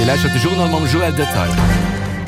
Dir lauschtert de Journal mam Joël Detail.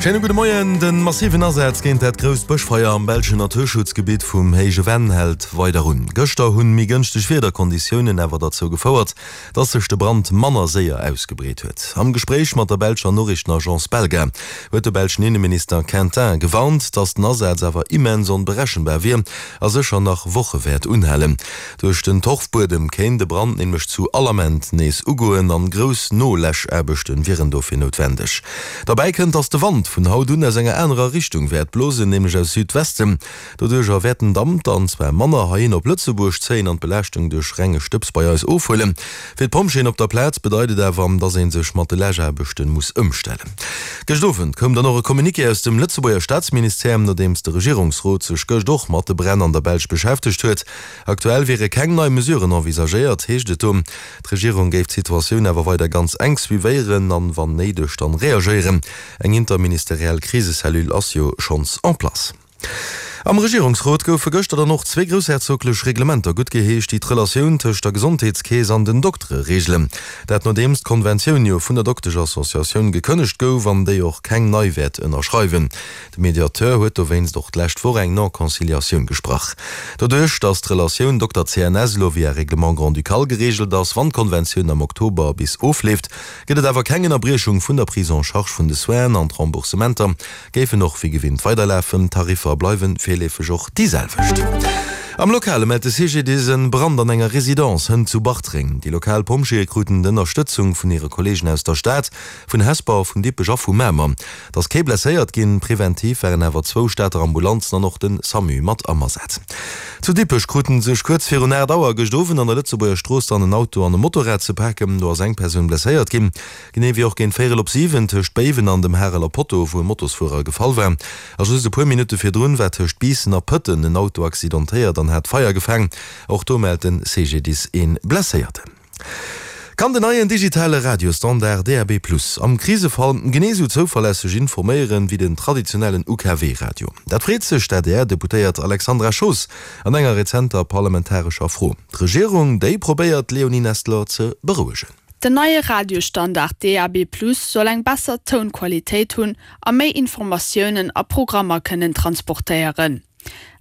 Schéine gudde Moien. De massiven Asaz géint dat grousst Bëschfeier am belschen Naturschutzgebitt vum Héije Venn hält weider un. Gëschter hunn méi gënschteg Wiederkonditiounen awer derzou gefouert, dass sech de Brand manner séier ausgebreet huet. Am Gespréich mat der belscher Noriichtenagence Belga huet de belschen Inneminister Quintin gewarnt, dass den Asaz awer immens onberechenbar wier a sécher nach Woche wäert unhalen. Duerch den Torfbuedem kéint de Brand nämlech zu all Ament nees ugoen an grouss Noläschaarbechte wieren dofir noutwendeg. Derbäi kënnt, dass de Wand vun haut un aus enger anerer Richtung wäert blosen, nämlech aus Südwesten. Doduercher wäert den Damp dann zwar manner heihin op Lëtzebuerg zéien an d'Belaaschtung duerch renge Stëbs bei eis ofhuelen. Fir d'Pompjeeën op der Plaz bedeit et awer, dass ee sech mat de Läschaarbechte muss ëmstellen. Gëscht Owend koum dann och e Communiqué aus dem Lëtzebuerger Staatsministère, nodeems de Regierungsrot sech gëscht och mat de Bränn an der Belsch beschäftegt huet. Aktuell wiere keng nei Mesuren envisagéiert, heescht et do. D'Regierung géif d'Situatioun awer weider ganz enk suivéieren an, wann néideg, dann reagéieren. Eng interministeriell Krisecellule ass jo schonns en place. Am Regierungsrot goufe gëschter dann och zwee groussherzoglech Reglementer guttgeheescht, déi d'Relatioun tëscht der Gesondheetskeess an den Doktere reegelen. Dat nodeems d'Konventioun jo vun der Dokteschassociatioun gekënnegt gouf an déi och keng nei wäert ënnerschreiwen. De Mediateur huet dowéinst och d'lescht Woch eng Non-Conciliatioun gesprach. Doduerch, datt d'Relatioun Dokter-CNS elo via Règlement grand-ducal gereegelt ass, wann d'Konventioun am Oktober bis ofleeft, gëtt et awer keng Ënnerbriechung vun der Prise en charge vun de Soinen an d'Remboursementer géifen och wéi gewinnt weiderlafen. D'Tariffer bleiwe virleefeg och déi selwecht. Am Lokale mellt de CGDIS en Brand an enger Residence hënt zu Bartreng. Déi lokal Pompjeeë kruten d'Ënnerstëtzung vun hire Kolleegen aus der Stad, vun Hesper, vun Dippech a vu Mamer. Et ass kee blesséiert ginn, preventiv waren awer zwou Stater Ambulanzen an och de Samu mat am Asaz. Zu Dippech kruten sech kuerz virun 8 Auer gëscht Owend an der Lëtzebuerger Strooss dann en Auto an e Motorrad ze paken. Do ass eng Persoun blesséiert ginn, genee wéi och géint véierel op 7 tëscht Béiwen an dem Hareler Potto, wou e Motosfuerer gefall war. A just e puer Minutte virdrun war tëscht Biissen a Pëtten en Auto accidentéiert an hat Feier gefaang. Och do mellt de CGDIS ee Blesséierten. Kann den neien digitale Radiostandard DAB+ am Krisefall genee sou zouverlässeg informéieren wéi den traditionellen UKW-Radio? Dat freet sech d'ADR-Deputéiert Alexandra Schoos an enger rezenter parlamentarescher Fro. D'Regierung, déi probéiert d'Léonie Nestler ze berouegen. Den neie Radiostandard DAB+ soll eng besser Tounqualitéit hunn a méi Informatiounen a Programmer kënnen transportéieren.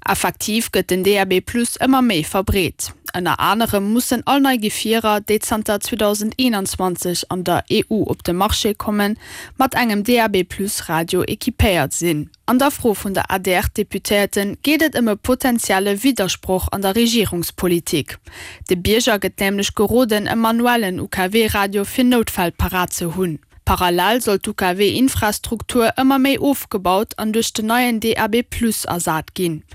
Effektiv gëtt den DAB+ ëmmer méi verbreet. Ënner anerem mussen all nei Gefierer, déi zanter 2021 an der EU op de Marché kommen, mat engem DAB+-Radio equipéiert sinn. An der Fro vun der ADR-Deputéierte geet et ëm e potentielle Widdersproch an der Regierungspolitik. De Bierger gëtt nämlech geroden, e manuellen UKW-Radio fir Noutfäll parat ze hunn. Parallel soll d'UKW-Infrastruktur ëmmer méi ofgebaut an duerch den neien DAB+ ersat ginn.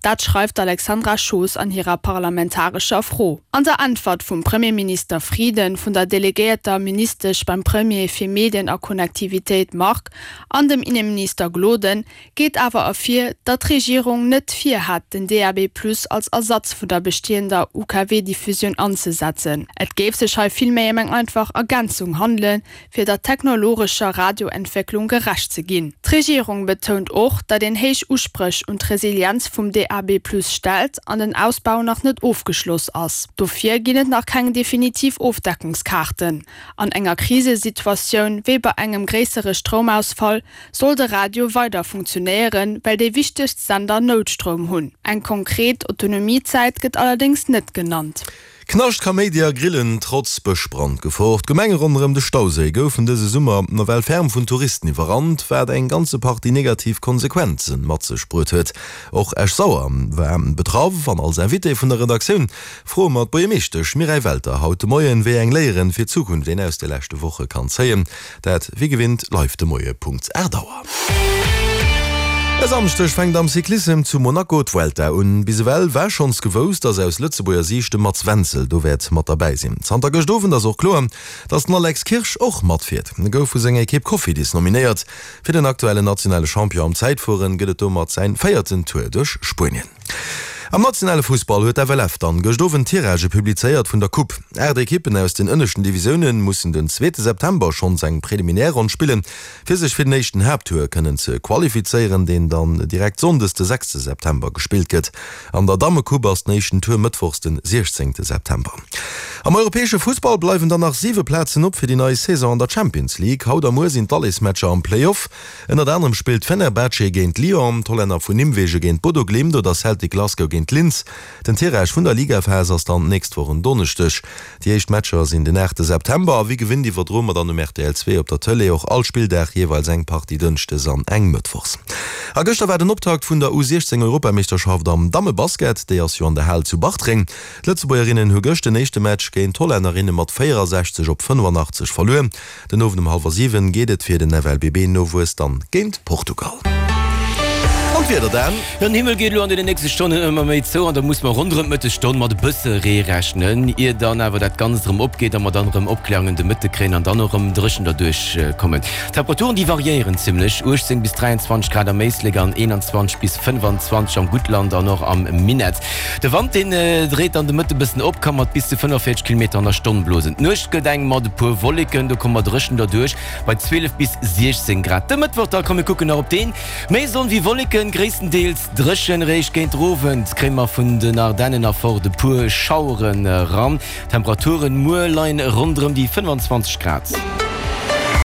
Dat schreift d'Alexandra Schoos an hirer parlamentarescher Fro. An der Äntwert vum Premierminister Frieden, vun der delegéierter Ministesch beim Premier fir Medien a Connectivitéit Margue an dem Inneminister Gloden geet awer ervir, datt d'Regierung net virhätt, den DAB+ als Ersatz vun der bestehender UKW-Diffusioun anzesetzen. Et géif sech hei villméi ëm eng einfach Ergänzung handelen, fir der technologescher Radioentwécklung gerecht ze ginn. D'Regierung betount och, datt een héich Uspréch un d'Resilienz vum DAB+ stellt an den Ausbau nach net ofgeschloss ass. Dofir ginn et nach keng definitiv Ofdeckungskaarten. An enger Krisesituatioun, wéi bei engem gréissere Stroumausfall, soll de Radio weider funktionéieren, well déi wichtegst Sender Noutstroum hunn. Eng konkret Autonomiezäit gëtt allerdéngs net genannt. Knascht, Kaméidi a Grillen trotz Bëschbrandgefor, D'Gemenge ronderëm de Stauséi goufen dëse Summer nawell ferm vun Touristen iwwerrannt, wat eng ganze Partie negativ Konsequenze mat sech bruet huet. Och Esch-Sauer war betraff an als Invité vun der Redaktioun froe mer d'Buergermeeschtesch Mireille Welter haut de Moien, wéi eng Léieren fir d'Zukunft een aus de leschte Woche kann zéien. Dat wéi gewinnt live de Moie Punkt 8 Auer. E Samschdeg fänkt am Cyclissem zu Monaco d'Vuelta un. Bis ewell war schonns gewousst, dass aus Lëtzebuerger Siicht de Mats Wenzel do wäert mat derbäi sinn. Zanter gëscht Owend ass och kloer, dass den Alex Kirsch och matfiert. E gouf vu senger Ekipp Cofidis nominéiert. Fir den aktuellen nationale Champion am Zäitfueren gëtt et domat säin véierten Tour duerch Spuenien. Am nationale Fussball huet d'FLF dann gëscht Owend d'Tiragë publizéiert vun der Coupe. 8 Ekippen aus den ënneschten Divisioune mussen den zweete September schonns eng Preliminärronn spillen, fir sech fir den éischten Haapttour kënnen ze qualifizéieren, deen dann direkt sonndes de sechste September gespillt gëtt. An der Dammecoupe ass den éischten Tour mëttwochs den siechzéngte September. Am europäesche Fussball bleiwen dann nach 7 Plazen op fir déi nei Saison an der Champions League. Haut a muer sinn d'Alleesmatcher am Play-Off. Ënnert anerem spillt Fenerbahce géint Lyon, d'Hollänner vun Nimwegen géint Bodo Glimt oder Celtic Glasgow géint Linz. Den Tirage vun der Ligaphas ass dann d'nächst Woch en Donneschdeg. Déi éischt Matcher sinn den 8 September a wéi gewinnt iwwerdroe mer dann um rtl 2 op der Tëlee och all Spilldag jeeweils eng Partie dënschdes an eng mëttwochs. A gëschter war den Optakt vun der U 16 Europameeschterschaft am Dammebasket. Déi ass jo an der Hal zu Bartreng. D'Lëtzebuergerinnen hu gëscht den éischte Match géint d'Hollännerinne mat 64 op 85 verluer. Den Owend um hallwer 7 geet et fir den FLBB-Nowuess dann géint Portugal. An d'Wieder dann? Den Himmel geet elo an deene nächste Stonnen ëmmer méi zou an da muss mer ronderëm d'Mëttesstonn mat e bësse Ree rechnen, ier dann awer dat Ganzt erëm opgeet a mer dann erëm Opkläerungen de Mëtte kréien an dann och erëm dréchen derduerch kommen. D'Temperaturen, déi variéieren zimmlech, 18 bis 23 Grad am Éislek an 21 bis 25 am Guttland an och am Minett. De Wand deen dréit dann de Mëtte bëssen op, ka mat bis zu 45 Kilometer an der Stonn blosen. D'Nuecht gëtt eng mat e puer Wolleken, do komme mer dréchen derduerch bei 12 bis 16 Grad. De Mëttwoch da, komm mir kucken nach op deen, méi Sonn wéi Wolleken, gréisstendeels dréchen. Réischt géint den Owend kréie mer vun den Ardennen erfort e puer Schaueren eran. D'Temperaturen muer leien ronderëm déi 25 Grad.